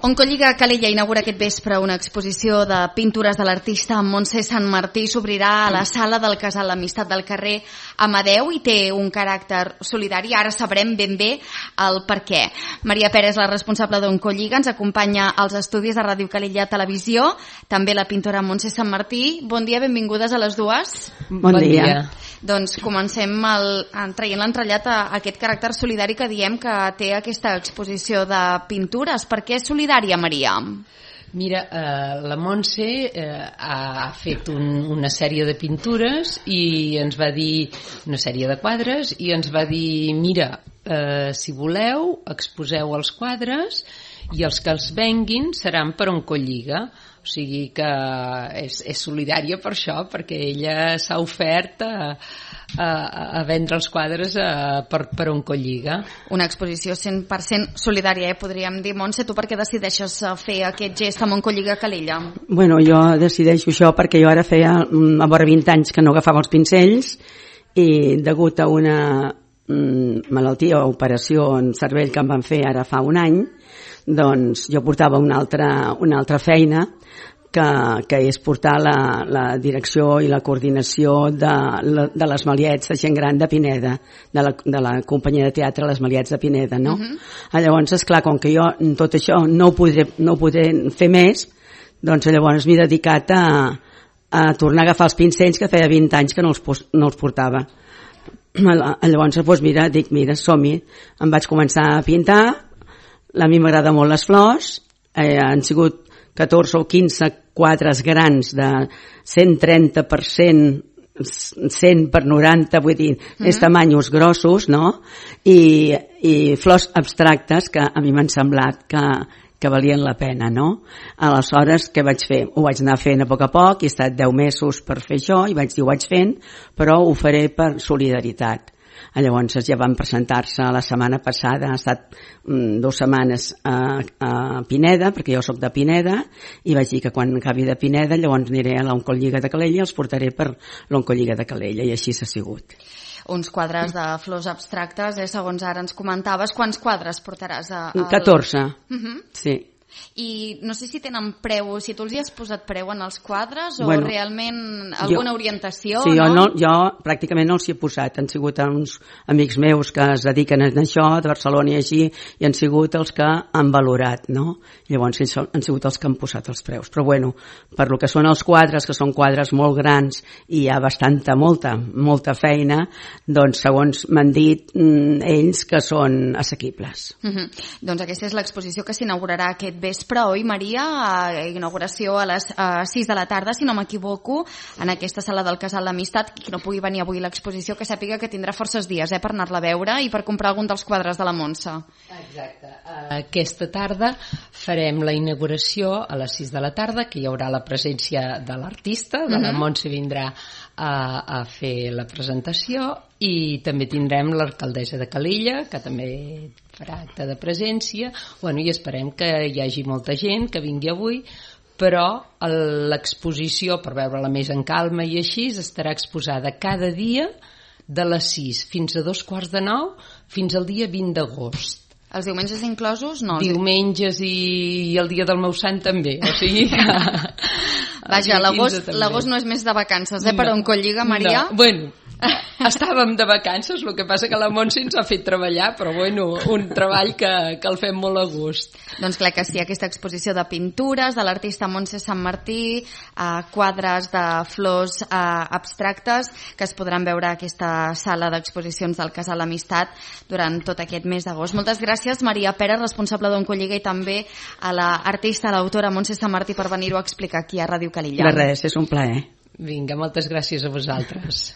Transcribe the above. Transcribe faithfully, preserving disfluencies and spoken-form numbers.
Oncolliga Calella inaugura aquest vespre una exposició de pintures de l'artista Montse Santmartí. S'obrirà a la sala del Casal L'Amistat del carrer Amadeu i té un caràcter solidari. Ara sabrem ben bé el per què. Maria Pérez, la responsable d'Oncolliga, ens acompanya als estudis de Ràdio Calella Televisió. També la pintora Montse Santmartí. Bon dia, benvingudes a les dues. Bon dia. Doncs comencem el, traient l'entrellat a aquest caràcter solidari que diem que té aquesta exposició de pintures. Per què és solidària, Maria? Mira, eh, la Montse eh, ha fet un, una sèrie de pintures i ens va dir, una sèrie de quadres, i ens va dir, mira, eh, si voleu, exposeu els quadres i els que els venguin seran per Oncolliga. O sigui que és, és solidària per això, perquè ella s'ha ofert a, a, a vendre els quadres a, per, per Oncolliga. Una exposició cent per cent solidària, eh, podríem dir. Montse, tu per què decideixes fer aquest gest amb Oncolliga Calella? Bueno, jo decideixo això perquè jo ara feia a vora vint anys que no agafava els pincells i degut a una mm, malaltia o operació en cervell que em van fer ara fa un any, doncs jo portava una altra, una altra feina que, que és portar la, la direcció i la coordinació de, de les Maliets de gent gran de Pineda, de la, de la companyia de teatre Les Maliets de Pineda, no? Uh-huh. Llavors, esclar, com que jo tot això no ho podré, no ho podré fer més, doncs llavors m'he dedicat a, a tornar a agafar els pincells que feia vint anys que no els, no els portava. Llavors, doncs mira, dic, mira, som-hi. Em vaig començar a pintar. A mi m'agrada molt les flors, eh, han sigut catorze o quinze quadres grans de cent trenta per cent, cent per noranta, vull dir, mm-hmm. és tamanyos grossos, no? I, i flors abstractes que a mi m'han semblat que, que valien la pena, no? Aleshores, què vaig fer? Ho vaig anar fent a poc a poc, he estat deu mesos per fer això, i vaig dir, ho vaig fent, però ho faré per solidaritat. Llavors ja van presentar-se la setmana passada, ha estat mm, dues setmanes a, a Pineda, perquè jo sóc de Pineda, i vaig dir que quan acabi de Pineda llavors aniré a l'Oncolliga de Calella i els portaré per l'Oncolliga de Calella, i així s'ha sigut. Uns quadres de flors abstractes, eh, segons ara ens comentaves. Quants quadres portaràs? A, a... catorze, uh-huh. Sí. I no sé si tenen preu, si tu els hi has posat preu en els quadres o bueno, realment alguna jo, orientació, sí, no? Jo, no? Jo pràcticament no els hi he posat, han sigut uns amics meus que es dediquen a això, de Barcelona i així, i han sigut els que han valorat, no? Llavors han sigut els que han posat els preus. Però bueno, per lo que són els quadres, que són quadres molt grans i hi ha bastanta, molta, molta feina, doncs segons m'han dit mm, ells que són assequibles. Uh-huh. Doncs aquesta és l'exposició que s'inaugurarà aquest vespre, oi, Maria? Inauguració a les sis de la tarda, si no m'equivoco, en aquesta sala del Casal L'Amistat. Qui no pugui venir avui a l'exposició, que sàpiga que tindrà forces dies eh, per anar-la a veure i per comprar algun dels quadres de la Montse. Exacte. Aquesta tarda farem la inauguració a les sis de la tarda, que hi haurà la presència de l'artista, de la Montse vindrà a, a fer la presentació, i també tindrem l'alcaldessa de Calella, que també farà acte de presència. Bueno, i esperem que hi hagi molta gent que vingui avui, però l'exposició, per veure-la més en calma i així, estarà exposada cada dia de les sis fins a dos quarts de nou fins al dia vint d'agost. Els diumenges inclosos? No. Diumenges i el dia del meu sant també, o sigui que... Vaja, l'agost no és més de vacances, eh, per Oncolliga, Maria? No, bueno, estàvem de vacances, el que passa que la Montse ens ha fet treballar, però bueno, un treball que, que el fem molt a gust. Doncs clar que sí, aquesta exposició de pintures de l'artista Montse Santmartí, eh, quadres de flors eh, abstractes, que es podran veure a aquesta sala d'exposicions del Casal L'Amistat durant tot aquest mes d'agost. Moltes gràcies, Maria Pérez, responsable d'Oncolliga, i també a l'artista, l'autora Montse Santmartí, per venir-ho a explicar aquí a Ràdio Calella. De res, és un plaer. Vinga, moltes gràcies a vosaltres.